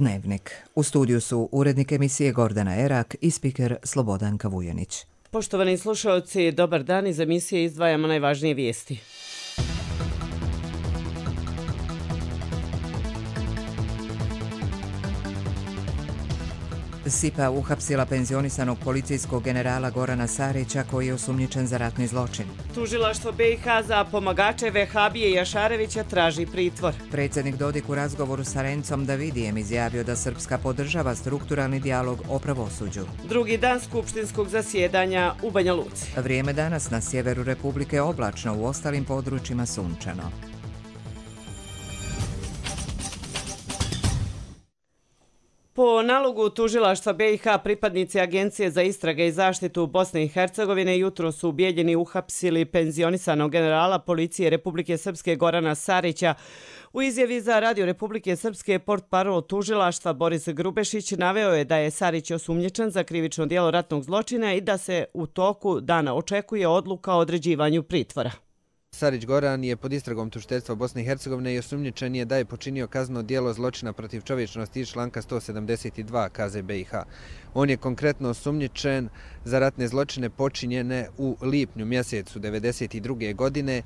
Dnevnik. U studiju su urednik emisije Gordana Erak i spiker Slobodanka Vujanić. Poštovani slušalci, dobar dan. Iz emisije izdvajamo najvažnije vijesti. SIPA uhapsila penzionisanog policijskog generala Gorana Sarića koji je osumnjičen za ratni zločin. Tužilaštvo BiH za pomagače Vehabije Jašarevića traži pritvor. Predsjednik Dodik u razgovoru sa Rencom Davidijem izjavio da Srpska podržava strukturalni dijalog o pravosuđu. Drugi dan skupštinskog zasjedanja u Banja Luci. Vrijeme danas na sjeveru Republike oblačno, u ostalim područjima sunčano. Po nalogu tužilaštva BiH pripadnici Agencije za istrage i zaštitu Bosne i Hercegovine jutro su ubijeljeni uhapsili penzionisanog generala policije Republike Srpske Gorana Sarića. U izjavi za Radio Republike Srpske portparol tužilaštva Boris Grubešić naveo je da je Sarić osumnjičen za krivično djelo ratnog zločina i da se u toku dana očekuje odluka o određivanju pritvora. Sarić Goran je pod istragom tužiteljstva Bosne i Hercegovine i osumnjičen je da je počinio kazneno djelo zločina protiv čovječnosti iz članka 172 KZ BiH. On je konkretno osumnjičen za ratne zločine počinjene u lipnju mjesecu 1992. godine,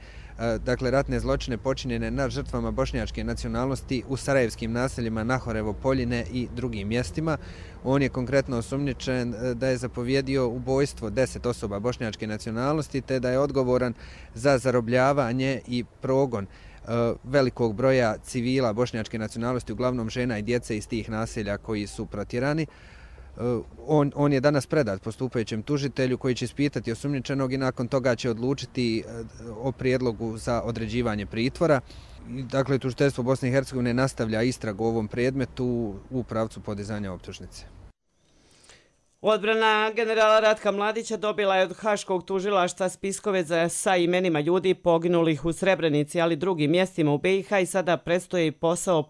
dakle ratne zločine počinjene nad žrtvama bošnjačke nacionalnosti u sarajevskim naseljima Nahorevo, Poljine i drugim mjestima. On je konkretno osumnjičen da je zapovjedio ubojstvo 10 osoba bošnjačke nacionalnosti te da je odgovoran za zarobljavanje i progon velikog broja civila bošnjačke nacionalnosti, uglavnom žena i djece iz tih naselja koji su protjerani. On je danas predat postupajućem tužitelju koji će ispitati osumnjičenog i nakon toga će odlučiti o prijedlogu za određivanje pritvora. Dakle, tužiteljstvo Bosne i Hercegovine nastavlja istragu o ovom predmetu u pravcu podizanja optužnice. Odbrana generala Ratka Mladića dobila je od Haškog tužilaštva spiskove sa imenima ljudi poginulih u Srebrenici, ali drugim mjestima u BiH i sada predstoji posao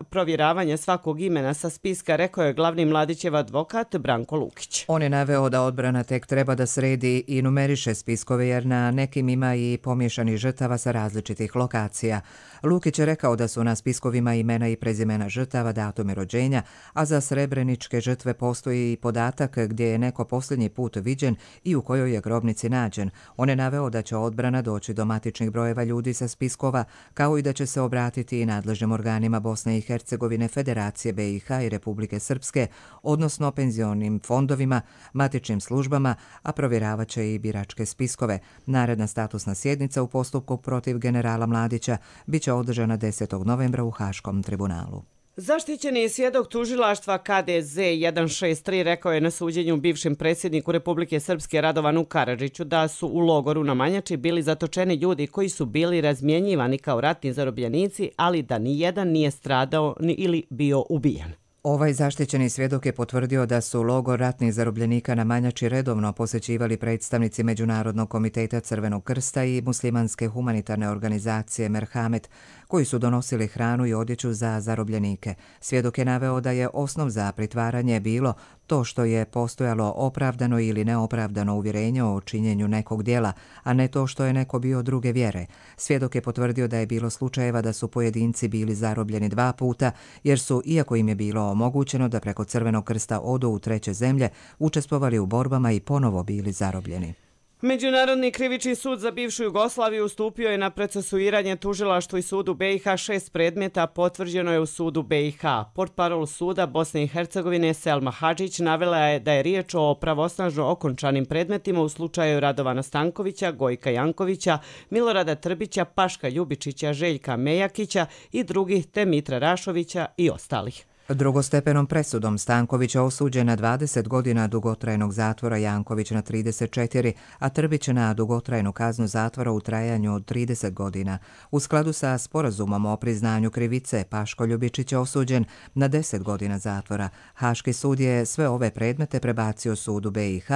provjeravanja svakog imena sa spiska, rekao je glavni Mladićev advokat Branko Lukić. On je naveo da odbrana tek treba da sredi i numeriše spiskove jer na nekim ima i pomješanih žrtava sa različitih lokacija. Lukić je rekao da su na spiskovima imena i prezimena žrtava, datumi rođenja, a za srebreničke žrtve postoji i podatak gdje je neko posljednji put viđen i u kojoj je grobnici nađen. On je naveo da će odbrana doći do matičnih brojeva ljudi sa spiskova, kao i da će se obratiti i nadležnim organima Bosne i Hercegovine, Federacije BiH i Republike Srpske, odnosno penzionim fondovima, matičnim službama, a provjeravat će i biračke spiskove. Naredna statusna sjednica u postupku protiv generala Mladića biće održana 10. novembra u Haškom tribunalu. Zaštićeni svjedok tužilaštva KDZ 163 rekao je na suđenju bivšem predsjedniku Republike Srpske Radovanu Karadžiću da su u logoru na Manjači bili zatočeni ljudi koji su bili razmjenjivani kao ratni zarobljenici, ali da nijedan nije stradao ili bio ubijen. Ovaj zaštićeni svjedok je potvrdio da su logor ratnih zarobljenika na Manjači redovno posjećivali predstavnici Međunarodnog komiteta Crvenog krsta i muslimanske humanitarne organizacije Merhamet, koji su donosili hranu i odjeću za zarobljenike. Svjedok je naveo da je osnov za pritvaranje bilo to što je postojalo opravdano ili neopravdano uvjerenje o činjenju nekog djela, a ne to što je neko bio druge vjere. Svjedok je potvrdio da je bilo slučajeva da su pojedinci bili zarobljeni 2 puta, jer su, iako im je bilo omogućeno da preko Crvenog krsta odu u treće zemlje, učestvovali u borbama i ponovo bili zarobljeni. Međunarodni krivični sud za bivšu Jugoslaviju ustupio je na procesuiranje tužilaštvu i sudu BiH 6 predmeta, potvrđeno je u sudu BiH. Portparol suda Bosne i Hercegovine Selma Hadžić navela je da je riječ o pravosnažno okončanim predmetima u slučaju Radovana Stankovića, Gojka Jankovića, Milorada Trbića, Paška Ljubičića, Željka Mejakića i drugih, te Mitra Rašovića i ostalih. Drugostepenom presudom Stanković je osuđen na 20 godina dugotrajnog zatvora, Janković na 34, a Trbić na dugotrajnu kaznu zatvora u trajanju od 30 godina. U skladu sa sporazumom o priznanju krivice, Paško Ljubičić je osuđen na 10 godina zatvora. Haški sud je sve ove predmete prebacio sudu BiH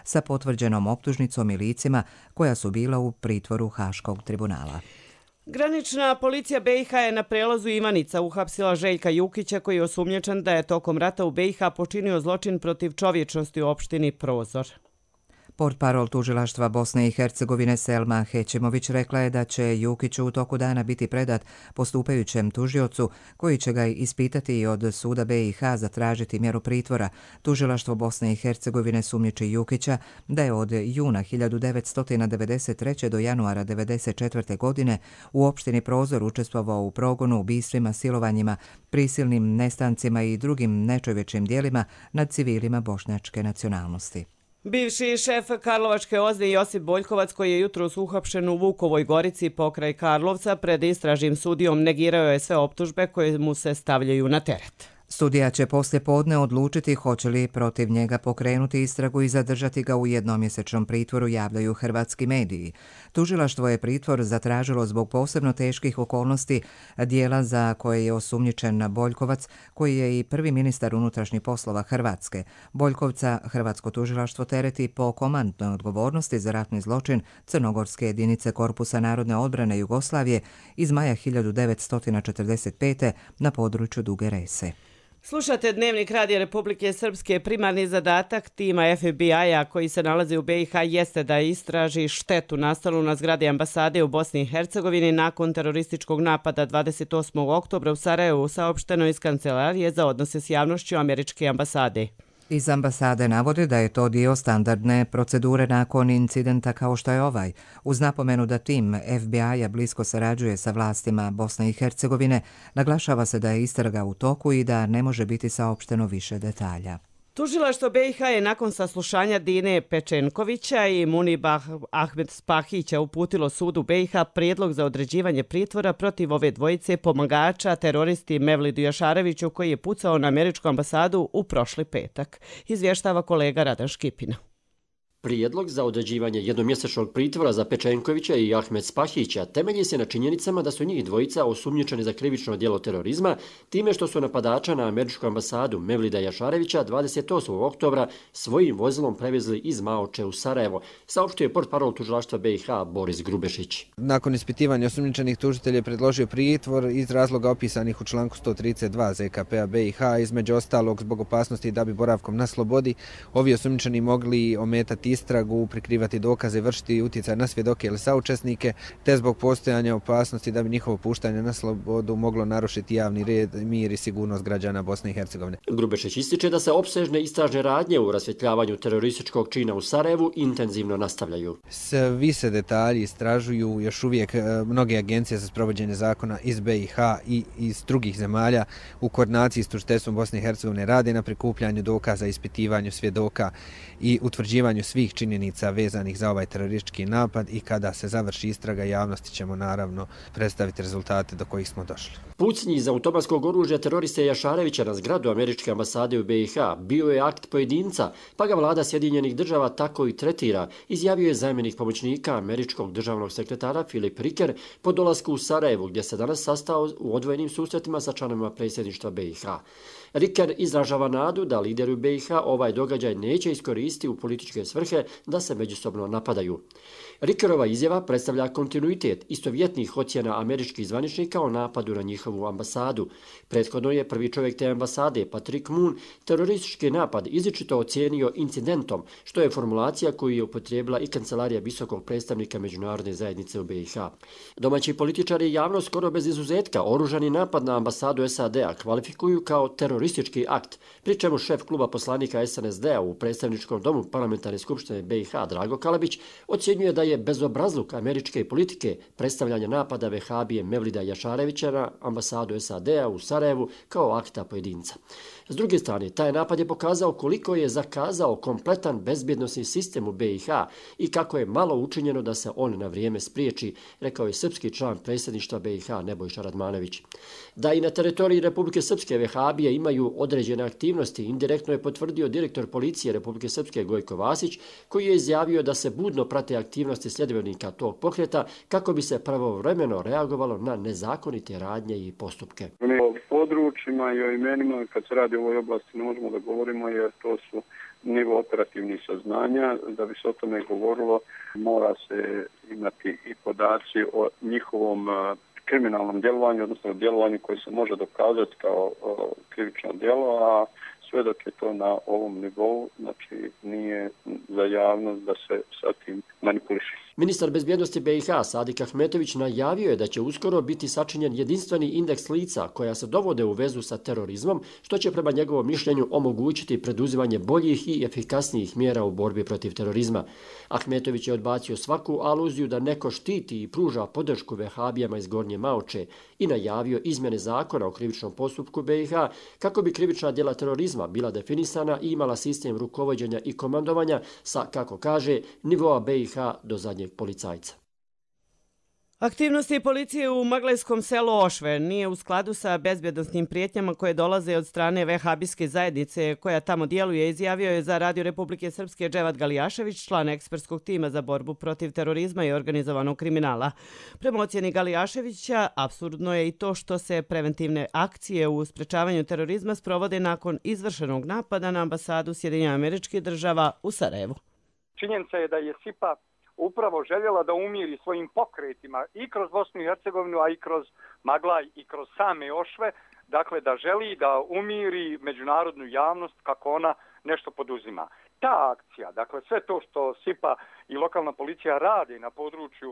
sa potvrđenom optužnicom i licima koja su bila u pritvoru Haškog tribunala. Granična policija BiH je na prelazu Ivanica uhapsila Željka Jukića koji je osumnjičen da je tokom rata u BiH počinio zločin protiv čovječnosti u opštini Prozor. Portparol tužilaštva Bosne i Hercegovine Selma Hećemović rekla je da će Jukić u toku dana biti predat postupajućem tužiocu koji će ga ispitati i od suda BiH zatražiti mjeru pritvora. Tužilaštvo Bosne i Hercegovine sumnjiči Jukića da je od juna 1993. do januara 1994. godine u opštini Prozor učestvovao u progonu, ubistvima, silovanjima, prisilnim nestancima i drugim nečovječnim djelima nad civilima bošnjačke nacionalnosti. Bivši šef Karlovačke OZNE Josip Boljkovac, koji je jutros uhapšen u Vukovoj Gorici pokraj Karlovca, pred istražnim sudijom negirao je sve optužbe koje mu se stavljaju na teret. Sudija će poslije podne odlučiti hoće li protiv njega pokrenuti istragu i zadržati ga u jednomjesečnom pritvoru, javljaju hrvatski mediji. Tužilaštvo je pritvor zatražilo zbog posebno teških okolnosti dijela za koje je osumnjičen Boljkovac, koji je i prvi ministar unutrašnjih poslova Hrvatske. Boljkovca hrvatsko tužilaštvo tereti po komandnoj odgovornosti za ratni zločin crnogorske jedinice Korpusa narodne odbrane Jugoslavije iz maja 1945. na području Duge Rese. Slušate Dnevnik Radija Republike Srpske. Primarni zadatak tima FBI-a koji se nalazi u BiH jeste da istraži štetu nastalu na zgradi ambasade u Bosni i Hercegovini nakon terorističkog napada 28. oktobra u Sarajevu, saopšteno iz Kancelarije za odnose s javnošću američke ambasade. Iz ambasade navode da je to dio standardne procedure nakon incidenta kao što je ovaj. Uz napomenu da tim FBI-a blisko sarađuje sa vlastima Bosne i Hercegovine, naglašava se da je istraga u toku i da ne može biti saopšteno više detalja. Tužilaštvo BiH je nakon saslušanja Dine Pečenkovića i Muniba Ahmed Spahića uputilo sudu BiH prijedlog za određivanje pritvora protiv ove dvojice pomagača teroristi Mevlidu Jašareviću koji je pucao na američku ambasadu u prošli petak, izvještava kolega Radan Škipina. Prijedlog za određivanje jednomjesečnog pritvora za Pečenkovića i Ahmed Spahića temelji se na činjenicama da su njih dvojica osumnjičeni za krivično djelo terorizma time što su napadača na američku ambasadu Mevlida Jašarevića 28. oktobra svojim vozilom prevezli iz Maoče u Sarajevo, saopštio je portparol tužilaštva BiH Boris Grubešić. Nakon ispitivanja osumnjičenih tužitelj je predložio pritvor iz razloga opisanih u članku 132 ZKP-a BiH, između ostalog zbog opasnosti da bi boravkom na slobodi ovi osumnjičeni mogli ometati istragu, prikrivati dokaze, vršiti utjecaj na svjedoke ili saučesnike, te zbog postojanja opasnosti da bi njihovo puštanje na slobodu moglo narušiti javni red, mir i sigurnost građana Bosne i Hercegovine. Grubešić ističe da se opsežne istražne radnje u rasvjetljavanju terorističkog čina u Sarajevu intenzivno nastavljaju. Svi se detalji istražuju, još uvijek mnoge agencije za sprovođenje zakona iz BiH i iz drugih zemalja u koordinaciji s tužiteljstvom Bosne i Hercegovine rade na prikupljanju dokaza, ispitivanju svjedoka i utvrđivanju svih činjenica vezanih za ovaj teroristički napad i kada se završi istraga javnosti ćemo naravno predstaviti rezultate do kojih smo došli. Pucnji iz automatskog oružja teroriste Jašarevića na zgradu američke ambasade u BiH bio je akt pojedinca, pa ga vlada Sjedinjenih država tako i tretira, izjavio je zamjenik pomoćnika američkog državnog sekretara Filip Riker po dolasku u Sarajevu, gdje se danas sastao u odvojenim susretima sa članovima predsjedništva BiH. Riker izražava nadu da lideri u BiH ovaj događaj neće iskoristiti u političke svrhe da se međusobno napadaju. Rikerova izjava predstavlja kontinuitet istovjetnih ocjena američkih zvaničnika o napadu na njihovu ambasadu. Prethodno je prvi čovjek te ambasade, Patrick Moon, teroristički napad izričito ocijenio incidentom, što je formulacija koju je upotrijebila i kancelarija visokog predstavnika međunarodne zajednice u BiH. Domaći političari i javnost skoro bez izuzetka oružani napad na ambasadu SAD-a kvalifikuju kao teroristički akt, pri čemu šef kluba poslanika SNSD-a u predstavničkom domu parlamentarne skupštine BiH Drago Kalabić ocjenjuje da je bezobrazluk američke politike predstavljanja napada vehabije Mevlida Jašarevića na ambasadu SAD-a u Sarajevu kao akta pojedinca. S druge strane, taj napad je pokazao koliko je zakazao kompletan bezbjednosni sistem u BiH i kako je malo učinjeno da se on na vrijeme spriječi, rekao je srpski član predsjedništva BiH Nebojša Radmanović. Da i na teritoriji Republike Srpske vehabije imaju određene aktivnosti, indirektno je potvrdio direktor policije Republike Srpske Gojko Vasić, koji je izjavio da se budno prate aktivnosti sljedbenika tog pokreta kako bi se pravovremeno reagovalo na nezakonite radnje i postupke. O područjima i o imenima kad se radi u ovoj oblasti ne možemo da govorimo jer to su nivo operativnih saznanja. Da bi se o tome govorilo mora se imati i podaci o njihovom kriminalnom djelovanju, odnosno djelovanju koje se može dokazati kao krivično djelo, a sve dok je to na ovom nivou, znači nije za javnost da se sa tim manipuliše. Ministar bezbjednosti BiH Sadik Ahmetović najavio je da će uskoro biti sačinjen jedinstveni indeks lica koja se dovode u vezu sa terorizmom, što će prema njegovom mišljenju omogućiti preduzimanje boljih i efikasnijih mjera u borbi protiv terorizma. Ahmetović je odbacio svaku aluziju da neko štiti i pruža podršku vehabijama iz Gornje Maoče i najavio izmjene zakona o krivičnom postupku BiH kako bi krivična djela terorizma bila definisana i imala sistem rukovođenja i komandovanja sa, kako kaže, nivoa BiH do zadnjeg policajca. Aktivnosti policije u maglajskom selu Ošve nije u skladu sa bezbjednosnim prijetnjama koje dolaze od strane vehabijske zajednice koja tamo djeluje, izjavio je za Radio Republike Srpske Dževat Galijašević, član ekspertskog tima za borbu protiv terorizma i organizovanog kriminala. Prema ocjeni Galijaševića, apsurdno je i to što se preventivne akcije u sprečavanju terorizma sprovode nakon izvršenog napada na ambasadu Sjedinjenih Američkih Država u Sarajevu. Činjenica je da je SIPA upravo željela da umiri svojim pokretima i kroz Bosnu i Hercegovinu, a i kroz Maglaj i kroz same Ošve, dakle da želi da umiri međunarodnu javnost kako ona nešto poduzima. Ta akcija, dakle sve to što SIPA i lokalna policija radi na području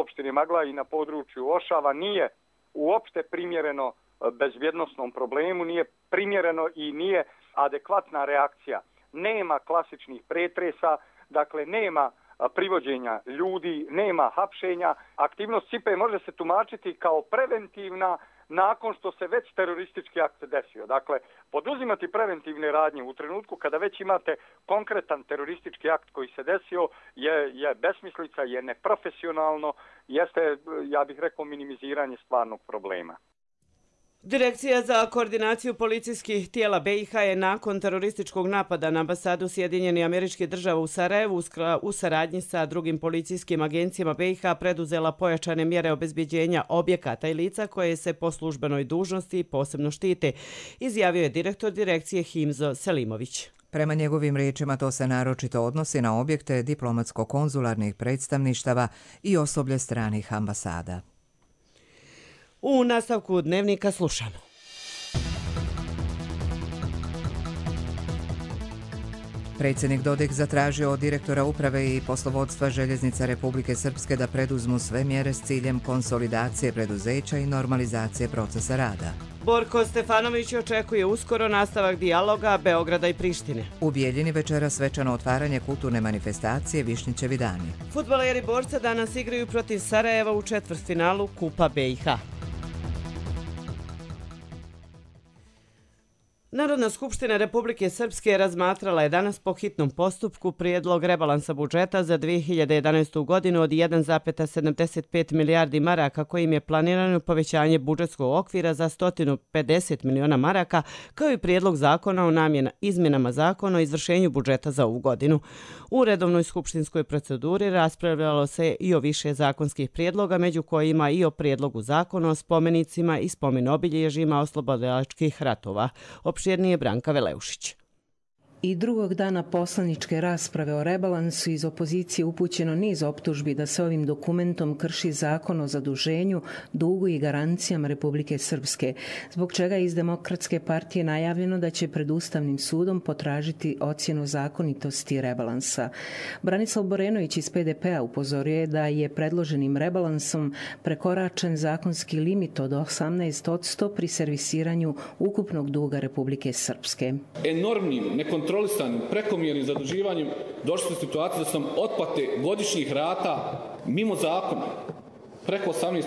opštine Maglaj i na području Ošava nije uopšte primjereno bezbjednosnom problemu, nije primjereno i nije adekvatna reakcija. Nema klasičnih pretresa, dakle nema privođenja ljudi, nema hapšenja. Aktivnost SIPA može se tumačiti kao preventivna nakon što se već teroristički akt desio. Dakle, poduzimati preventivne radnje u trenutku kada već imate konkretan teroristički akt koji se desio je besmislica, je neprofesionalno, jeste, ja bih rekao, minimiziranje stvarnog problema. Direkcija za koordinaciju policijskih tijela BiH je nakon terorističkog napada na ambasadu Sjedinjenih Američkih Država u Sarajevu u saradnji sa drugim policijskim agencijama BiH preduzela pojačane mjere obezbjeđenja objekata i lica koje se po službenoj dužnosti posebno štite, izjavio je direktor direkcije Himzo Selimović. Prema njegovim riječima to se naročito odnosi na objekte diplomatsko-konzularnih predstavništava i osoblje stranih ambasada. U nastavku dnevnika slušamo. Predsjednik Dodik zatražio od direktora uprave i poslovodstva Željeznica Republike Srpske da preduzmu sve mjere s ciljem konsolidacije preduzeća i normalizacije procesa rada. Borko Stefanović očekuje uskoro nastavak dijaloga Beograda i Prištine. U Bijeljini večera svečano otvaranje kulturne manifestacije Višnjićevi dani. Fudbaleri Borca danas igraju protiv Sarajeva u četvrtfinalu Kupa BiH. Narodna skupština Republike Srpske razmatrala je danas po hitnom postupku prijedlog rebalansa budžeta za 2011. godinu od 1,75 milijardi maraka kojim je planirano povećanje budžetskog okvira za 150 miliona maraka, kao i prijedlog zakona o izmjenama zakona o izvršenju budžeta za ovu godinu. U redovnoj skupštinskoj proceduri raspravljalo se i o više zakonskih prijedloga, među kojima i o prijedlogu zakona o spomenicima i spomen-obilježjima oslobodilačkih ratova. Opširnije Branka Veleušić. I drugog dana poslaničke rasprave o rebalansu iz opozicije upućeno niz optužbi da se ovim dokumentom krši zakon o zaduženju, dugu i garancijama Republike Srpske, zbog čega je iz Demokratske partije najavljeno da će pred Ustavnim sudom potražiti ocjenu zakonitosti rebalansa. Branislav Borenović iz PDP-a upozorio je da je predloženim rebalansom prekoračen zakonski limit od 18% pri servisiranju ukupnog duga Republike Srpske. Enormnim, nekontrolisanim, prekomjernim zaduživanjem došli su situacije da su nam otplate godišnjih rata mimo zakona preko 18%,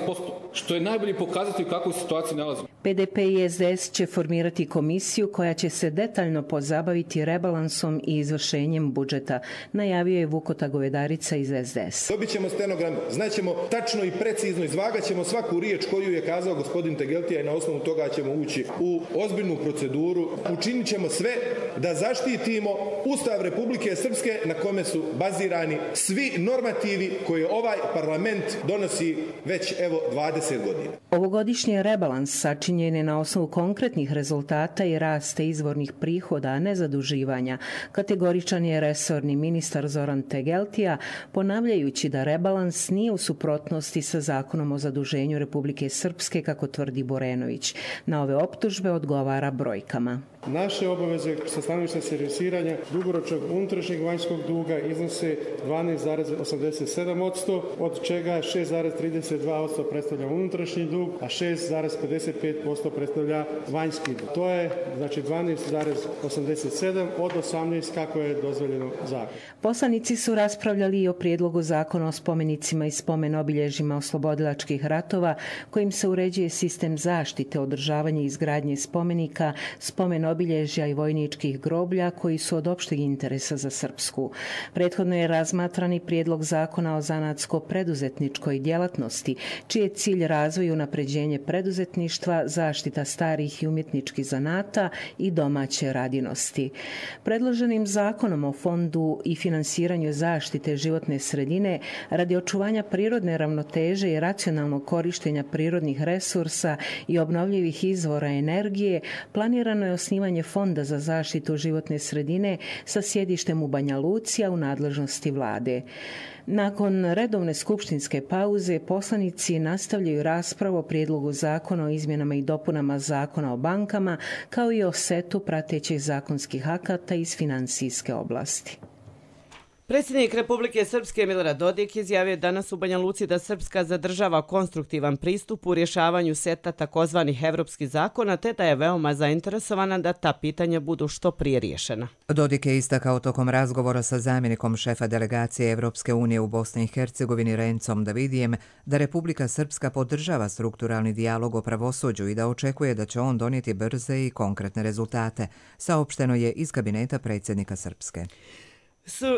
što je najbolji pokazatelj u kakvoj situaciji nalazimo. PDP i SDS će formirati komisiju koja će se detaljno pozabaviti rebalansom i izvršenjem budžeta, najavio je Vukota Govedarica iz SDS. Dobit ćemo stenogram, znaćemo tačno i precizno, izvagaćemo svaku riječ koju je kazao gospodin Tegeltija i na osnovu toga ćemo ući u ozbiljnu proceduru. Učinit ćemo sve da zaštitimo Ustav Republike Srpske na kome su bazirani svi normativi koje ovaj parlament donosi već 20 godina. Ovogodišnji rebalans sačinjen je na osnovu konkretnih rezultata i raste izvornih prihoda, a ne zaduživanja. Kategoričan je resorni ministar Zoran Tegeltija, ponavljajući da rebalans nije u suprotnosti sa zakonom o zaduženju Republike Srpske, kako tvrdi Borenović. Na ove optužbe odgovara brojkama. Naše obaveze sa stanovišta servisiranja dugoročnog unutrašnjeg vanjskog duga iznose 12,87%, od čega 6,32% predstavlja unutrašnji dug, a 6,55% predstavlja vanjski dug. To je znači 12,87 od 18 kako je dozvoljeno zakon. Poslanici su raspravljali i o prijedlogu zakona o spomenicima i spomen obilježjima oslobodilačkih ratova kojim se uređuje sistem zaštite, održavanje i izgradnje spomenika, spomen obilježja i vojničkih groblja koji su od opšteg interesa za Srpsku. Prethodno je razmatran i prijedlog zakona o zanatsko-preduzetničkoj djelatnosti, čiji je cilj razvoj i unapređenje preduzetništva, zaštita starih i umjetničkih zanata i domaće radinosti. Predloženim zakonom o fondu i finansiranju zaštite životne sredine radi očuvanja prirodne ravnoteže i racionalnog korištenja prirodnih resursa i obnovljivih izvora energije planirano je osnivanje Fonda za zaštitu životne sredine sa sjedištem u Banja Luci, a u nadležnosti vlade. Nakon redovne skupštinske pauze, poslanici nastavljaju raspravu o prijedlogu zakona o izmjenama i dopunama zakona o bankama, kao i o setu pratećih zakonskih akata iz finansijske oblasti. Predsjednik Republike Srpske Milorad Dodik izjavio danas u Banja Luci da Srpska zadržava konstruktivan pristup u rješavanju seta takozvanih evropskih zakona, te da je veoma zainteresovana da ta pitanja budu što prije riješena. Dodik je istakao tokom razgovora sa zamjenikom šefa delegacije Evropske unije u Bosni i Hercegovini Rencom Davidijem da Republika Srpska podržava strukturalni dijalog o pravosuđu i da očekuje da će on donijeti brze i konkretne rezultate, saopšteno je iz kabineta predsjednika Srpske.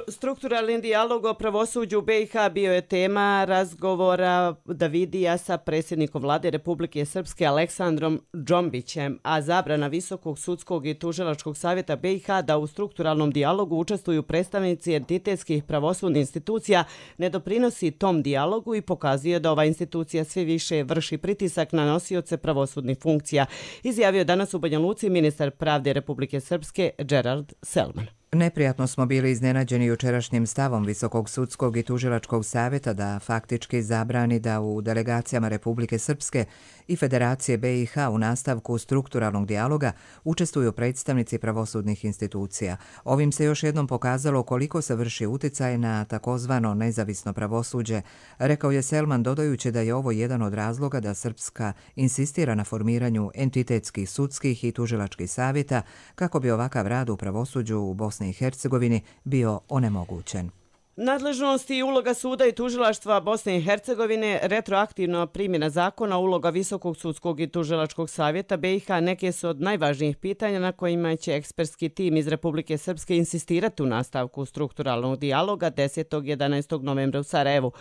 Strukturalni dijalog o pravosuđu u BiH bio je tema razgovora Davidija sa predsjednikom vlade Republike Srpske Aleksandrom Džombićem, a zabrana Visokog sudskog i tužilačkog savjeta BiH da u strukturalnom dijalogu učestvuju predstavnici entitetskih pravosudnih institucija ne doprinosi tom dijalogu i pokazuje da ova institucija sve više vrši pritisak na nosioce pravosudnih funkcija, izjavio danas u Banja Luci ministar pravde Republike Srpske Gerard Selman. Neprijatno smo bili iznenađeni jučerašnjim stavom Visokog sudskog i tužilačkog savjeta da faktički zabrani da u delegacijama Republike Srpske i Federacije BiH u nastavku strukturalnog dijaloga učestvuju predstavnici pravosudnih institucija. Ovim se još jednom pokazalo koliko se vrši uticaj na takozvano nezavisno pravosuđe, rekao je Selman dodajući da je ovo jedan od razloga da Srpska insistira na formiranju entitetskih sudskih i tužilačkih savjeta kako bi ovakav rad u pravosuđu u Bosni i Hercegovini bio onemogućen. Nadležnost i uloga suda i tužilaštva Bosne i Hercegovine, retroaktivna primjena zakona, uloga Visokog sudskog i tužilačkog savjeta BiH neke su od najvažnijih pitanja na kojima će ekspertski tim iz Republike Srpske insistirati u nastavku strukturalnog dijaloga 10. i 11. novembra u Sarajevu.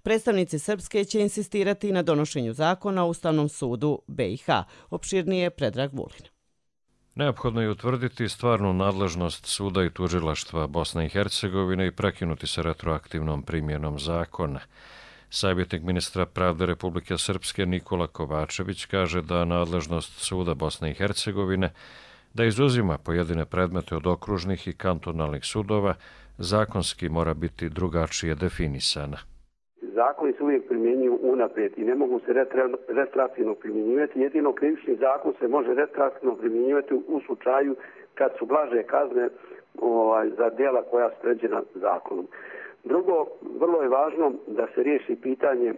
Predstavnici Srpske će insistirati na donošenju zakona u Ustavnom sudu BiH. Opširnije Predrag Vulin. Neophodno je utvrditi stvarnu nadležnost suda i tužilaštva Bosne i Hercegovine i prekinuti sa retroaktivnom primjenom zakona. Savjetnik ministra pravde Republike Srpske Nikola Kovačević kaže da nadležnost suda Bosne i Hercegovine da izuzima pojedine predmete od okružnih i kantonalnih sudova zakonski mora biti drugačije definisana. Zakoni se uvijek primjenjuju unaprijed i ne mogu se retroaktivno primjenjivati. Jedino krivični zakon se može retroaktivno primjenjivati u slučaju kad su blaže kazne za djela koja su predviđena zakonom. Drugo, vrlo je važno da se riješi pitanje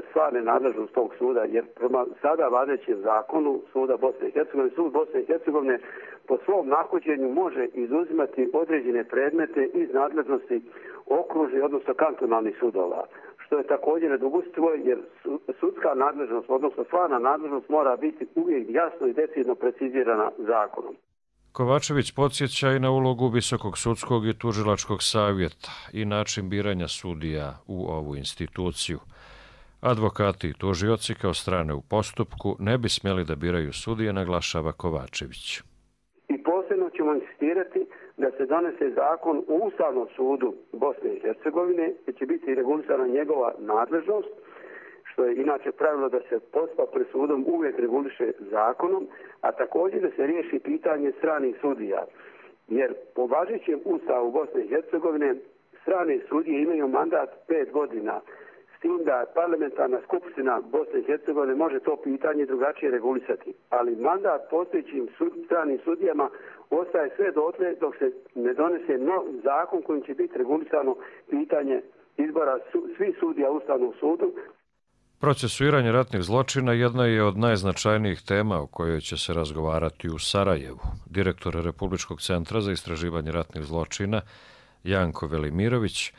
stvarne nadležnosti tog suda, jer prema sada važećem zakonu suda Bosne i Hercegovine, sud Bosne i Hercegovine po svom nahođenju može izuzimati određene predmete iz nadležnosti okružnih, odnosno kantonalnih sudova, što je također nedopustivo jer sudska nadležnost, odnosno stvarna nadležnost mora biti uvijek jasno i decidno precizirana zakonom. Kovačević podsjeća i na ulogu Visokog sudskog i tužilačkog savjeta i način biranja sudija u ovu instituciju. Advokati i tužioci kao strane u postupku ne bi smjeli da biraju sudije, naglašava Kovačević. I posebno ćemo insistirati da se donese zakon u Ustavnom sudu Bosne i Hercegovine, gdje će biti regulisana njegova nadležnost, što je inače pravilo da se postupak pred sudom uvijek reguliše zakonom, a također da se riješi pitanje stranih sudija. Jer po važećem Ustavu Bosne i Hercegovine strane sudije imaju mandat 5 godina, s s tim da parlamentarna skupština Bosne i Hercegovine može to pitanje drugačije regulisati. Ali mandat postojećim stranim sudijama ostaje sve dotle dok se ne donese nov zakon kojim će biti regulisano pitanje izbora svih sudija Ustavnog sudu. Procesuiranje ratnih zločina jedna je od najznačajnijih tema o kojoj će se razgovarati u Sarajevu. Direktor Republičkog centra za istraživanje ratnih zločina Janko Velimirović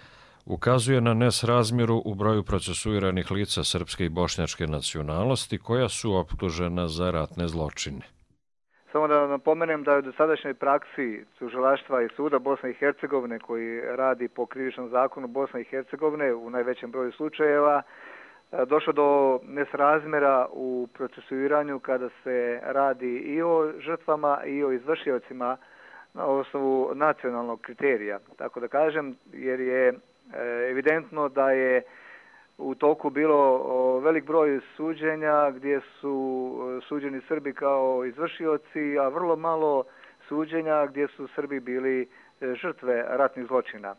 ukazuje na nesrazmjeru u broju procesuiranih lica srpske i bošnjačke nacionalnosti koja su optužena za ratne zločine. Samo da napomenem da je u dosadašnjoj praksi tužilaštva i suda Bosne i Hercegovine koji radi po krivičnom zakonu Bosne i Hercegovine u najvećem broju slučajeva došlo do nesrazmjera u procesuiranju kada se radi i o žrtvama i o izvršiocima na osnovu nacionalnog kriterija. Tako da kažem, jer je evidentno da je u toku bilo velik broj suđenja gdje su suđeni Srbi kao izvršioci, a vrlo malo suđenja gdje su Srbi bili žrtve ratnih zločina.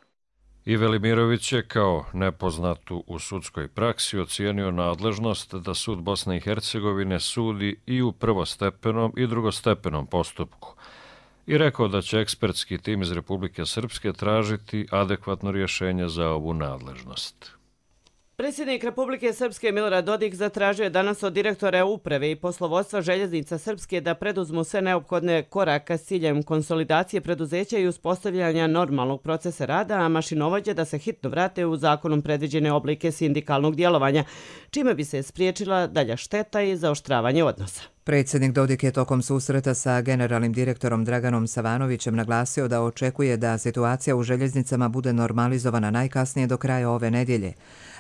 I Velimirović je kao nepoznatu u sudskoj praksi ocijenio nadležnost da sud Bosne i Hercegovine sudi i u prvostepenom i drugostepenom postupku i rekao da će ekspertski tim iz Republike Srpske tražiti adekvatno rješenje za ovu nadležnost. Predsjednik Republike Srpske Milorad Dodik zatražio je danas od direktora uprave i poslovodstva Željeznica Srpske da preduzmu sve neophodne koraka s ciljem konsolidacije preduzeća i uspostavljanja normalnog procesa rada, a mašinovođe da se hitno vrate u zakonom predviđene oblike sindikalnog djelovanja, čime bi se spriječila dalja šteta i zaoštravanje odnosa. Predsjednik Dodik je tokom susreta sa generalnim direktorom Draganom Savanovićem naglasio da očekuje da situacija u željeznicama bude normalizovana najkasnije do kraja ove nedjelje.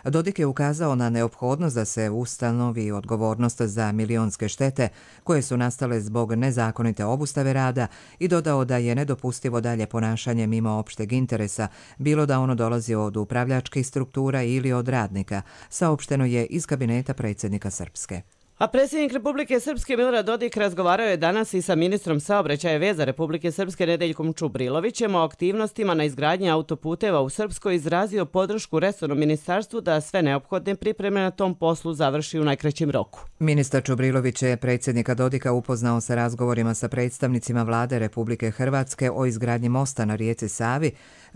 Dodik je ukazao na neophodnost da se ustanovi odgovornost za milionske štete koje su nastale zbog nezakonite obustave rada i dodao da je nedopustivo dalje ponašanje mimo opšteg interesa, bilo da ono dolazi od upravljačkih struktura ili od radnika, saopšteno je iz kabineta predsjednika Srpske. A predsjednik Republike Srpske Milorad Dodik razgovarao je danas i sa ministrom saobraćaja i veza Republike Srpske Nedeljkom Čubrilovićem o aktivnostima na izgradnji autoputeva u Srpskoj, izrazio podršku resornom ministarstvu da sve neophodne pripreme na tom poslu završi u najkraćem roku. Ministar Čubrilović je predsjednika Dodika upoznao sa razgovorima sa predstavnicima vlade Republike Hrvatske o izgradnji mosta na rijeci Savi,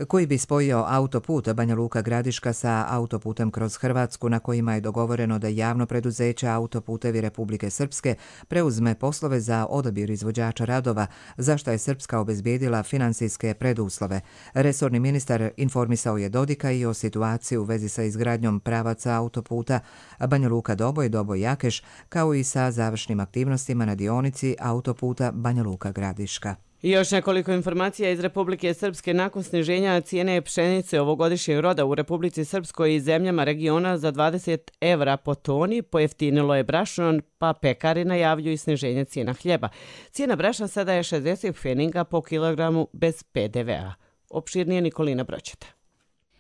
koji bi spojio autoput Banja Luka Gradiška sa autoputem kroz Hrvatsku, na kojima je dogovoreno da javno preduzeće Autoputevi Republike Srpske preuzme poslove za odabir izvođača radova, za što je Srpska obezbijedila finansijske preduslove. Resorni ministar informisao je Dodika i o situaciji u vezi sa izgradnjom pravaca autoputa Banja Luka Doboj, Doboj Jakeš, kao i sa završnim aktivnostima na dionici autoputa Banja Luka Gradiška. I još nekoliko informacija iz Republike Srpske. Nakon sniženja cijene pšenice ovogodišnjeg roda u Republici Srpskoj i zemljama regiona za 20 evra po toni, pojeftinilo je brašno, pa pekari najavljuju sniženje cijena hljeba. Cijena brašna sada je 60 pfeninga po kilogramu bez PDV-a. Opširnije Nikolina Broćeta.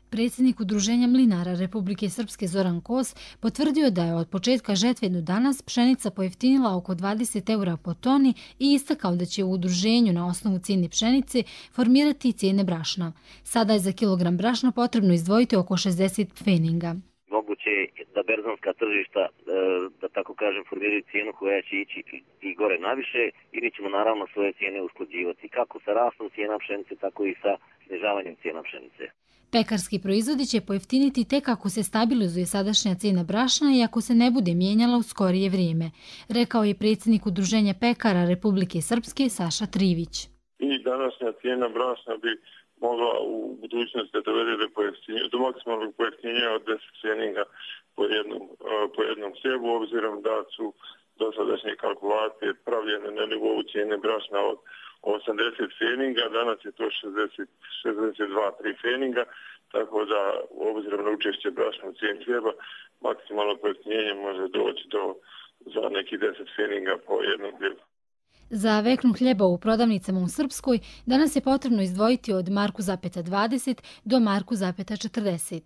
Predsjednik Udruženja mlinara Republike Srpske Zoran Kos potvrdio da je od početka žetve do danas pšenica pojeftinila oko 20 eura po toni i istakao da će u udruženju na osnovu cijene pšenice formirati cijene brašna. Sada je za kilogram brašna potrebno izdvojiti oko 60 pfeninga. Moguće je da berzanska tržišta, da tako kažem, formiraju cijenu koja će ići i gore naviše i mi ćemo naravno svoje cijene usklađivati kako sa rastom cijena pšenice, tako i sa snižavanjem cijena pšenice. Pekarski proizvodi će pojeftiniti tek ako se stabilizuje sadašnja cijena brašna i ako se ne bude mijenjala u skorije vrijeme, rekao je predsjednik Udruženja pekara Republike Srpske Saša Trivić. I današnja cijena brašna bi mogla u budućnosti da dovede do maksimalnog pojeftinjenja od 10 pfeninga po jednom hljebu, obzirom da su dosadašnje kalkulacije pravljene na nivou cijene brašna od 80 pfeninga, danas je to 62-3 pfeninga, tako da obzirom na učešće brašna u cijeni hljeba, maksimalno pojeftinjenje može doći za neki 10 pfeninga po jednom hljebu. Za veknu hljeba u prodavnicama u Srpskoj danas je potrebno izdvojiti od 1,20 do 1,40.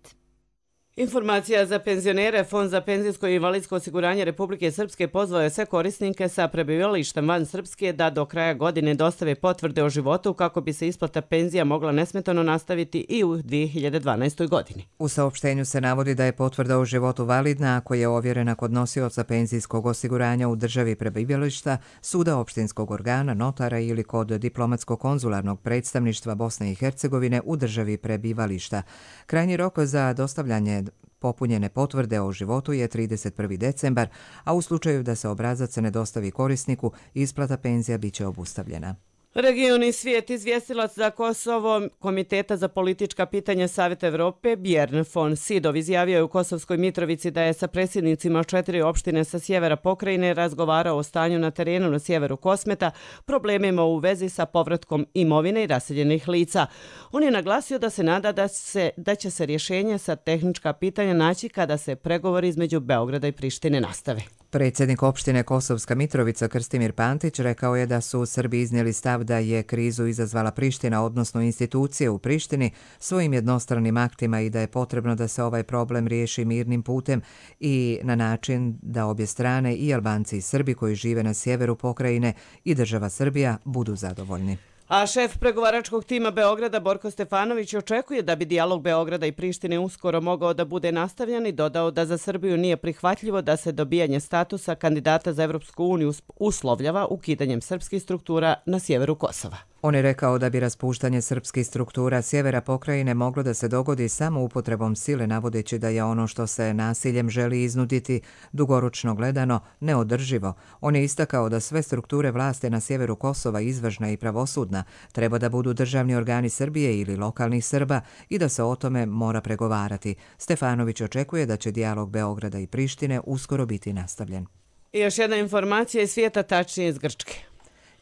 Informacija za penzionere. Fond za penzijsko i invalidsko osiguranje Republike Srpske pozvao je sve korisnike sa prebivalištem van Srpske da do kraja godine dostave potvrde o životu kako bi se isplata penzija mogla nesmetano nastaviti i u 2012. godini. U saopštenju se navodi da je potvrda o životu validna ako je ovjerena kod nosioca penzijskog osiguranja u državi prebivališta, suda opštinskog organa, notara ili kod diplomatsko-konzularnog predstavništva Bosne i Hercegovine u državi prebivališta. Krajnji rok za dostavljanje popunjene potvrde o životu je 31. decembar, a u slučaju da se obrazac ne dostavi korisniku, isplata penzija biće obustavljena. Region i svijet. Izvjestilac za Kosovo Komiteta za politička pitanja Savjeta Evrope Bjorn von Sydow izjavio je u Kosovskoj Mitrovici da je sa predsjednicima 4 opštine sa sjevera pokrajine razgovarao o stanju na terenu na sjeveru Kosmeta, problemima u vezi sa povratkom imovine i raseljenih lica. On je naglasio da se nada da će se rješenje sa tehnička pitanja naći kada se pregovori između Beograda i Prištine nastave. Predsjednik opštine Kosovska Mitrovica Krstimir Pantić rekao je da su Srbi iznijeli stav da je krizu izazvala Priština, odnosno institucije u Prištini, svojim jednostranim aktima i da je potrebno da se ovaj problem riješi mirnim putem i na način da obje strane, i Albanci i Srbi koji žive na sjeveru pokrajine i država Srbija, budu zadovoljni. A šef pregovaračkog tima Beograda Borko Stefanović očekuje da bi dijalog Beograda i Prištine uskoro mogao da bude nastavljen i dodao da za Srbiju nije prihvatljivo da se dobijanje statusa kandidata za Evropsku uniju uslovljava ukidanjem srpskih struktura na sjeveru Kosova. On je rekao da bi raspuštanje srpskih struktura sjevera pokrajine moglo da se dogodi samo upotrebom sile, navodeći da je ono što se nasiljem želi iznuditi dugoročno gledano neodrživo. On je istakao da sve strukture vlasti na sjeveru Kosova, izvršna i pravosudna, treba da budu državni organi Srbije ili lokalnih Srba i da se o tome mora pregovarati. Stefanović očekuje da će dijalog Beograda i Prištine uskoro biti nastavljen. I još jedna informacija iz svijeta, tačnije iz Grčke.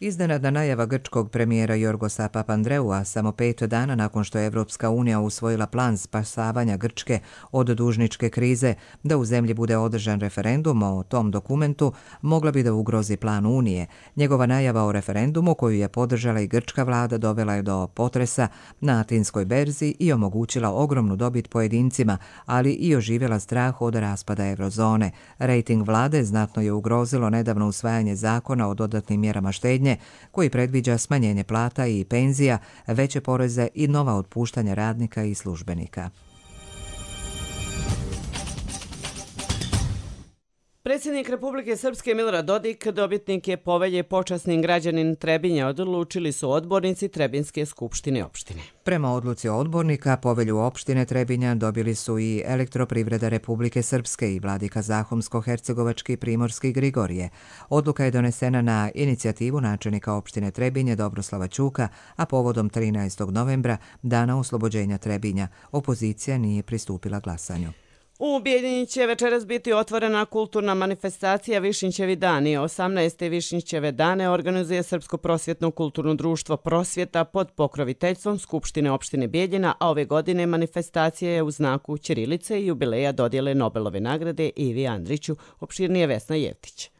Iznenadna najava grčkog premijera Jorgosa Papandreua samo 5 dana nakon što je Evropska unija usvojila plan spasavanja Grčke od dužničke krize da u zemlji bude održan referendum o tom dokumentu, mogla bi da ugrozi plan Unije. Njegova najava o referendumu, koju je podržala i grčka vlada, dovela je do potresa na Atinskoj berzi i omogućila ogromnu dobit pojedincima, ali i oživjela strah od raspada eurozone. Rating vlade znatno je ugrozilo nedavno usvajanje zakona o dodatnim mjerama štednje, koji predviđa smanjenje plata i penzija, veće poreze i nova otpuštanja radnika i službenika. Predsjednik Republike Srpske Milorad Dodik dobitnik je povelje počasni građanin Trebinja, odlučili su odbornici Trebinske skupštine opštine. Prema odluci odbornika, povelju opštine Trebinja dobili su i Elektroprivreda Republike Srpske i vladika Zahumsko-Hercegovački Primorski Grigorije. Odluka je donesena na inicijativu načelnika opštine Trebinje Dobroslava Ćuka, a povodom 13. novembra, dana oslobođenja Trebinja. Opozicija nije pristupila glasanju. U Bijeljini će večeras biti otvorena kulturna manifestacija Višnjićevi dani. 18. Višnjićeve dane organizuje Srpsko prosvjetno kulturno društvo Prosvjeta pod pokroviteljstvom Skupštine opštine Bijeljina, a ove godine manifestacija je u znaku ćirilice i jubileja dodjele Nobelove nagrade Ivi Andriću, opširnije Vesna Jevtić.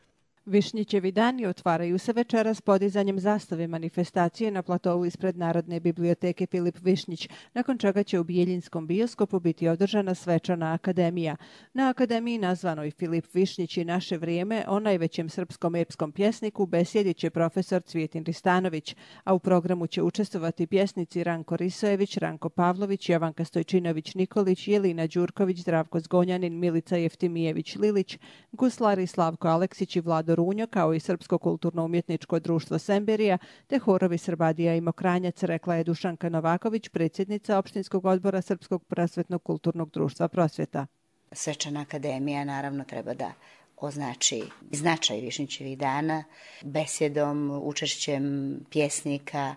Višnjićevi dani otvaraju se večeras podizanjem zastave manifestacije na platovu ispred Narodne biblioteke Filip Višnjić, nakon čega će u Bijeljinskom bioskopu biti održana svečana akademija. Na akademiji nazvanoj Filip Višnjić i naše vrijeme o najvećem srpskom epskom pjesniku besjedit će profesor Cvijetin Ristanović, a u programu će učestvovati pjesnici Ranko Risojević, Ranko Pavlović, Jovanka Stojčinović-Nikolić, Jelina Đurković, Zdravko Zgonjanin, Milica Jeftimijević-Lilić, guslari Slavko Aleksić i Vlado Runjo, kao i Srpsko kulturno-umjetničko društvo Semberija, te horovi Srbadija i Mokranjac, rekla je Dušanka Novaković, predsjednica opštinskog odbora Srpskog prosvetnog kulturnog društva Prosvjeta. Svečana akademija naravno treba da označi značaj Višnjićevih dana besjedom, učešćem pjesnika,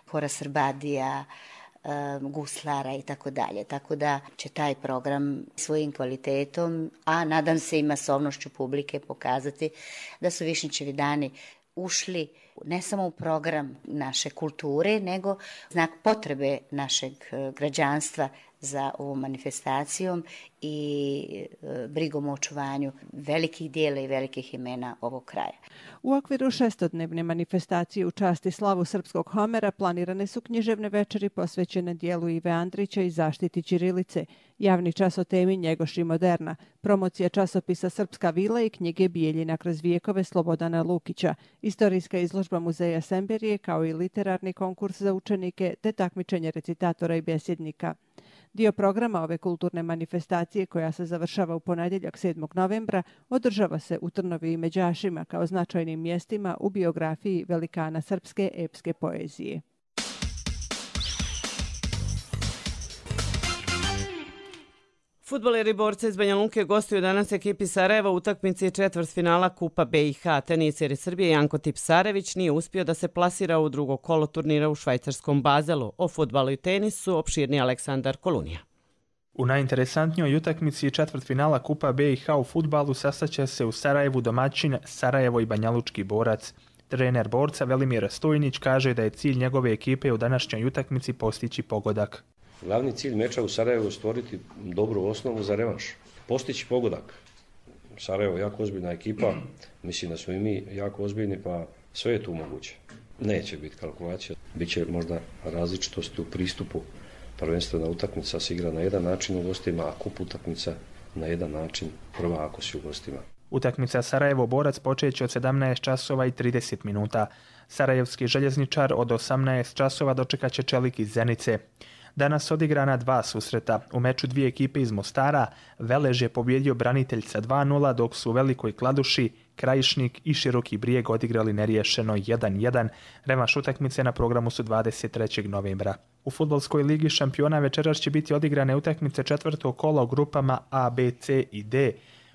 hora Srbadija, guslara i tako dalje. Tako da će taj program svojim kvalitetom, a nadam se i masovnošću publike pokazati da su Višnjićevi dani ušli ne samo u program naše kulture, nego znak potrebe našeg građanstva za ovom manifestacijom i brigom o očuvanju velikih dijela i velikih imena ovog kraja. U okviru 6-dnevne manifestacije u čast i slavu srpskog Homera planirane su književne večeri posvećene dijelu Ive Andrića i zaštiti ćirilice, javni čas o temi Njegoš i moderna, promocija časopisa Srpska vila i knjige Bijeljina kroz vijekove Slobodana Lukića, istorijska izložba muzeja Semberije kao i literarni konkurs za učenike te takmičenje recitatora i besjednika. Dio programa ove kulturne manifestacije, koja se završava u ponedjeljak 7. novembra, održava se u Trnovi i Međašima kao značajnim mjestima u biografiji velikana srpske epske poezije. Fudbaleri borci iz Banja Luke gostuju danas ekipi Sarajeva u utakmici četvrtfinala Kupa BiH. Teniseri Srbije Janko Tipsarević nije uspio da se plasira u drugo kolo turnira u švajcarskom Bazelu. O fudbalu i tenisu opširni Aleksandar Kolunija. U najinteresantnijoj utakmici četvrtfinala Kupa BiH u fudbalu sastaće se u Sarajevu domaćin Sarajevo i banjalučki borac. Trener borca Velimir Stojnić kaže da je cilj njegove ekipe u današnjoj utakmici postići pogodak. Glavni cilj meča u Sarajevu je stvoriti dobru osnovu za revanš. Postići pogodak. Sarajevo je jako ozbiljna ekipa, mislim da smo i mi jako ozbiljni, pa sve je tu moguće. Neće biti kalkulacija, biće možda različitosti u pristupu. Prvenstvena utakmica se igra na jedan način u gostima, a kup utakmica na jedan način prva ako si u gostima. Utakmica Sarajevo-borac počeće od 17 časova i 30 minuta. Sarajevski željezničar od 18 časova dočekat će Čelik iz Zenice. Danas odigrana 2 susreta. U meču 2 ekipe iz Mostara Velež je pobjedio Branitelj sa 2:0, dok su u Velikoj Kladuši Krajišnik i Široki Brijeg odigrali neriješeno 1:1. Revanš utakmice na programu su 23. novembra. U fudbalskoj ligi šampiona večeras će biti odigrane utakmice četvrtog kola u grupama A, B, C i D.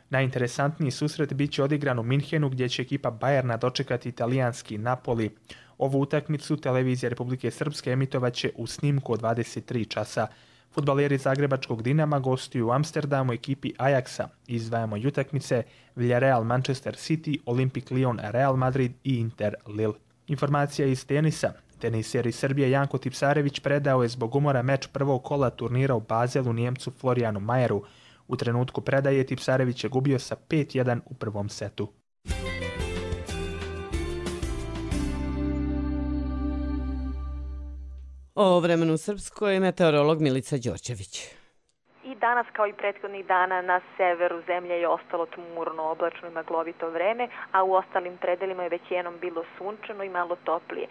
Najinteresantniji susret bit će odigran u Minhenu, gdje će ekipa Bajerna dočekati italijanski Napoli. Ovu utakmicu televizija Republike Srpske emitovaće u snimku od 23 časa. Fudbaleri Zagrebačkog Dinama gostuju u Amsterdamu ekipi Ajaxa. Izdvajamo i utakmice Villarreal Manchester City, Olympic Lyon Real Madrid i Inter Lille. Informacija iz tenisa. Teniseri Srbije Janko Tipsarević predao je zbog umora meč prvog kola turnira u Bazelu Njemcu Florijanu Majeru. U trenutku predaje Tipsarević je gubio sa 5:1 u prvom setu. O vremenu u Srpskoj meteorolog Milica Đorđević. I danas kao i prethodnih dana na severu zemlje je ostalo tmurno, oblačno i maglovito vreme, a u ostalim predelima je većinom bilo sunčano i malo toplije.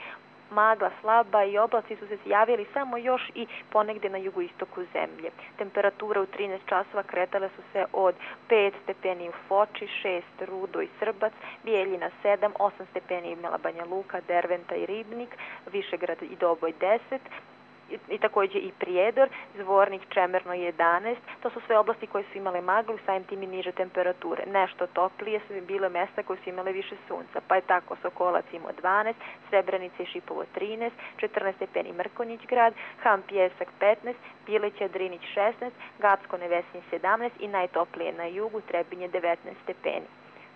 Magla slaba i oblaci su se javili samo još i ponegdje na jugoistoku zemlje. Temperature u 13 časova kretale su se od 5 stepeni u Foči, 6 Rudo i Srbac, Bijeljina 7, 8 stepeni imala Banja Luka, Derventa i Ribnik, Višegrad i Doboj 10, i također i Prijedor, Zvornik, Čemerno 11. To su sve oblasti koje su imale maglu, samim tim i niže temperature. Nešto toplije su bile mjesta koje su imale više sunca, pa je tako Sokolac imao 12, Srebrenica i Šipovo 13, 14 stepeni Mrkonjić grad, Ham Pjesak 15, Bileća Drinić 16, Gacko Nevesinj 17 i najtoplije na jugu Trebinje 19 stepeni.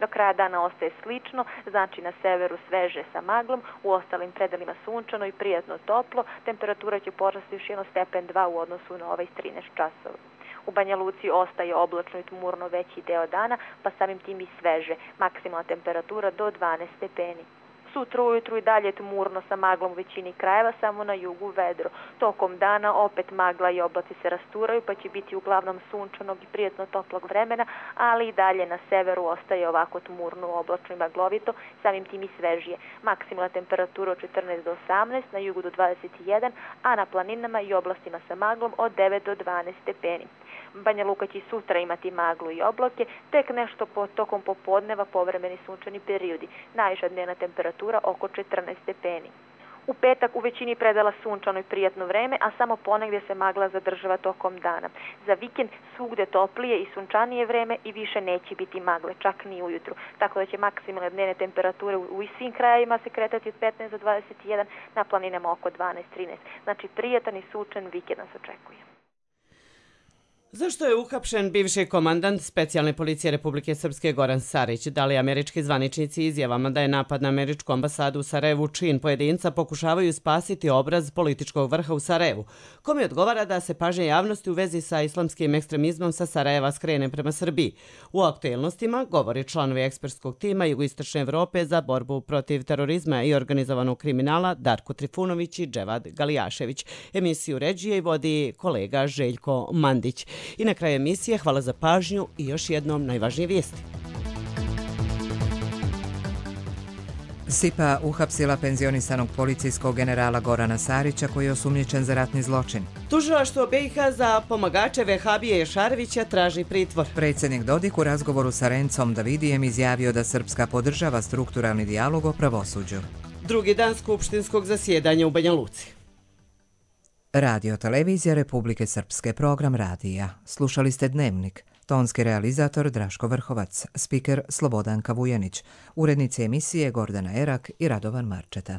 Do kraja dana ostaje slično, znači na severu sveže sa maglom, u ostalim predelima sunčano i prijatno toplo, temperatura će porasti još 1 stepen 2 u odnosu na ovaj 13 časova. U Banja Luci ostaje oblačno i tmurno veći deo dana, pa samim tim i sveže, maksimalna temperatura do 12 stepeni. Sutra ujutru i dalje tmurno sa maglom u većini krajeva, samo na jugu vedro. Tokom dana opet magla i oblaci se rasturaju, pa će biti uglavnom sunčanog i prijatno toplog vremena, ali i dalje na severu ostaje ovako tmurno, oblačno i maglovito, samim tim i svežije. Maksimalna temperatura od 14 do 18, na jugu do 21, a na planinama i oblastima sa maglom od 9 do 12 stepeni. Banja Luka će sutra imati maglu i oblake, tek nešto tokom popodneva povremeni sunčani periodi. Najviša dnevna temperatura oko 14 stepeni. U petak u većini predela sunčano i prijatno vreme, a samo ponegdje se magla zadržava tokom dana. Za vikend svugde toplije i sunčanije vreme i više neće biti magle, čak ni ujutru. Tako da će maksimalne dnevne temperature u svim krajevima se kretati od 15 do 21, na planinama oko 12-13. Znači prijatan i sunčan vikend nas očekuje. Zašto je uhapšen bivši komandant specijalne policije Republike Srpske Goran Sarić? Da li američki zvaničnici izjavama da je napad na američku ambasadu u Sarajevu čin pojedinca pokušavaju spasiti obraz političkog vrha u Sarajevu? Kome odgovara da se pažnja javnosti u vezi sa islamskim ekstremizmom sa Sarajeva skrene prema Srbiji? U aktuelnostima govori članovi ekspertskog tima Jugoistočne Evrope za borbu protiv terorizma i organizovanog kriminala Darko Trifunović i Dževad Galijašević. Emisiju ređuje i vodi kolega Željko Mandić. I na kraju emisije hvala za pažnju i još jednom najvažnije vijesti. SIPA uhapsila penzionisanog policijskog generala Gorana Sarića koji je osumnjičen za ratni zločin. Tužilaštvo BiH za pomagače Vehabije Ješarevića traži pritvor. Predsjednik Dodik u razgovoru sa Rencom Davidijem izjavio da Srpska podržava strukturalni dijalog o pravosuđu. Drugi dan skupštinskog zasjedanja u Banja Luci. Radio Televizija Republike Srpske, program radija. Slušali ste Dnevnik. Tonski realizator Draško Vrhovac, spiker Slobodanka Vujanić, urednici emisije Gordana Erak i Radovan Marčeta.